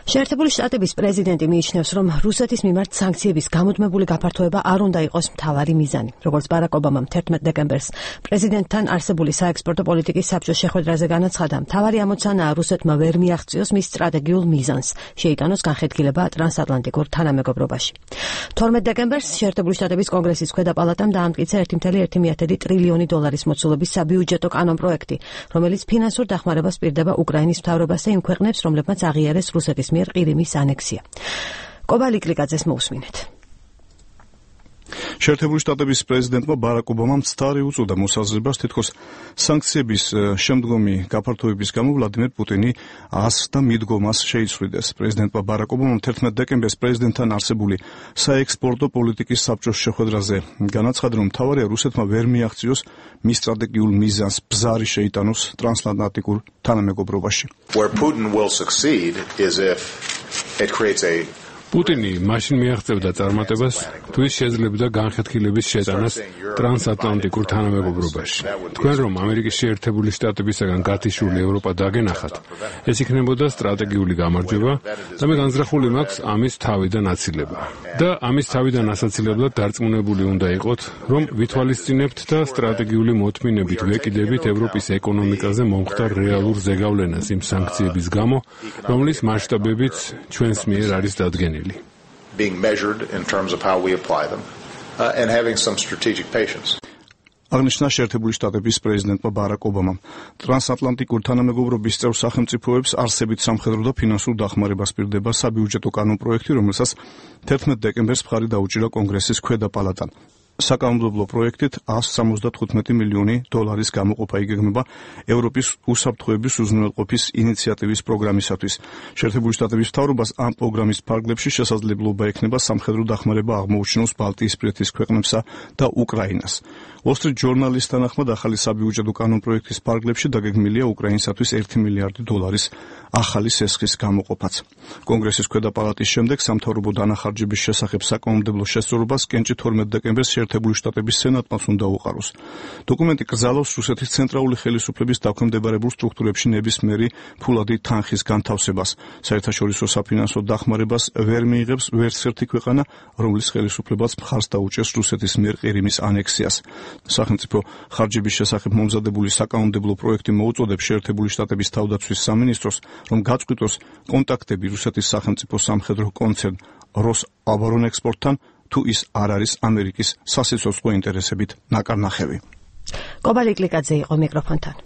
შეერთებული შტატების პრეზიდენტი მიიჩნევს, რომ რუსეთის მიმართ სანქციების გამუდმებული გაფართოება არ უნდა იყოს მთავარი მიზანი. როგორც ბარაკ ობამამ 11 დეკემბერს პრეზიდენტთან არსებული საექსპორტო პოლიტიკის საბჭოს შეხვედრაზე განაცხადა, მთავარი ამოცანაა რუსეთმა ვერ მიაღწიოს მის სტრატეგიულ მიზანს, შეიტანოს განხეთქილება ტრანსატლანტიკურ თანამეგობრობაში. 12 დეკემბერს შეერთებული შტატების კონგრესის ქვედა პალატამ დაამტკიცა 1,1 ტრილიონი დოლარის მოცულობის საბიუჯეტო კანონპროექტი, რომელიც ფინანსურ დახმარებას პირდება უკრაინის მთავრობასა იმ ქვეყნებს, რომლებმაც აღიარეს რუსეთის მიერ ყირიმის ანექსია. კობალი კლიკაძეს მოусმინეთ. შეერთებული შტატების პრეზიდენტმა ბარაკ ობამამ ცდარი უწოდა მოსაზრებას, თითქოს სანქციების შემდგომი გაფართოების გამო ვლადიმერ პუტინი ასხდა მიდგომას შეიცვლიდეს. პრეზიდენტმა ბარაკ ობამამ 11 დეკემბერს პრეზიდენტთან არსებული საექსპორტო პოლიტიკის საბჭოს შეხვედრაზე განაცხადა, რომ მთავარია რუსეთმა ვერ მიაღწიოს მის სტრატეგიულ მიზანს, ბზარი შეიტანოს ტრანსატლანტიკურ თანამეგობრობაში. Where Putin will succeed is if it creates a პუტინი მაშინ მიაღწევდა წარმატებას, თუ ის შეძლებდა განხეთქილების შეტანას ტრანსატლანტიკურ თანამეგობრობაში. თქვენ რომ ამერიკის შეერთებული შტატებისაგან გათიშული ევროპა დაგენახათ, ეს იქნებოდა სტრატეგიული გამარჯვება და მე განზრახული მაქვს ამის თავიდან აცილება. და ამის თავიდან ასაცილებლად დარწმუნებული უნდა იყოთ, რომ ვითვალისწინებთ და სტრატეგიული მოთმინებით ვეკიდებით ევროპის ეკონომიკაზე მომხდარ რეალურ ზეგავლენას იმ სანქციების გამო, რომლის მასშტაბებიც ჩვენს მიერ არის დადგენილი. being measured in terms of how we apply them and having some strategic patience. აღნიშნა შეერთებული შტატების პრეზიდენტმა ბარაკ ობამამ. ტრანსატლანტიკურ თანამეგობრობის წევრ სახელმწიფოებს არსებით სამხედრო და ფინანსურ დახმარებას პირდება საბიუჯეტო კანონპროექტი, რომელსაც 11 დეკემბერს მხარი დაუჭირა კონგრესის ქვედა პალატამ. საკანონმდებლო პროექტით 175 მილიონი დოლარის გამოყოფა იგეგმება ევროპის უსაფრთხოების უზრუნველყოფის ინიციატივის პროგრამისათვის. შეერთებული შტატების მთავრობას ამ პროგრამის ფარგლებში შესაძლებლობა ექნება სამხედრო დახმარება აღმოუჩინოს ბალტიისპირეთის ქვეყნებსა და უკრაინას. Wall Street Journal-ის თანახმად ახალი საბიუჯეტო კანონპროექტის ფარგლებში დაგეგმილია უკრაინისათვის 1 მილიარდი დოლარის ახალი სესხის გამოყოფაც. კონგრესის ქვედა პალატის შემდეგ სამთავრობო დანახარჯების შესახებ საკანონმდებლო შესწორებას კენჭი 12 დეკემბერს შეერთებული შტატების სენატმა უნდა უყაროს. დოკუმენტი კრძალავს რუსეთის ცენტრალური ხელისუფლების დაქვემდებარებულ სტრუქტურებში ნებისმიერი ფულადი თანხის განთავსებას. საერთაშორისო საფინანსო დახმარებას ვერ მიიღებს ვერც ერთი ქვეყანა, რომლის ხელისუფლებაც მხარს დაუჭერს რუსეთის მიერ ყირიმის ანექსიას. სახელმწიფო ხარჯების შესახებ მომზადებული საკანონმდებლო პროექტი მოუწოდებს შეერთებული შტატების თავდაცვის სამინისტროს, რომ გაწყვიტოს კონტაქტები რუსეთის სახელმწიფო სამხედრო კონცერნ როსაბორონექსპორტთან, თუ ის არ არის ამერიკის სასიცოცხლო ინტერესებით ნაკარნახევი. კობალი კლიკაძე იყო მიკროფონთან.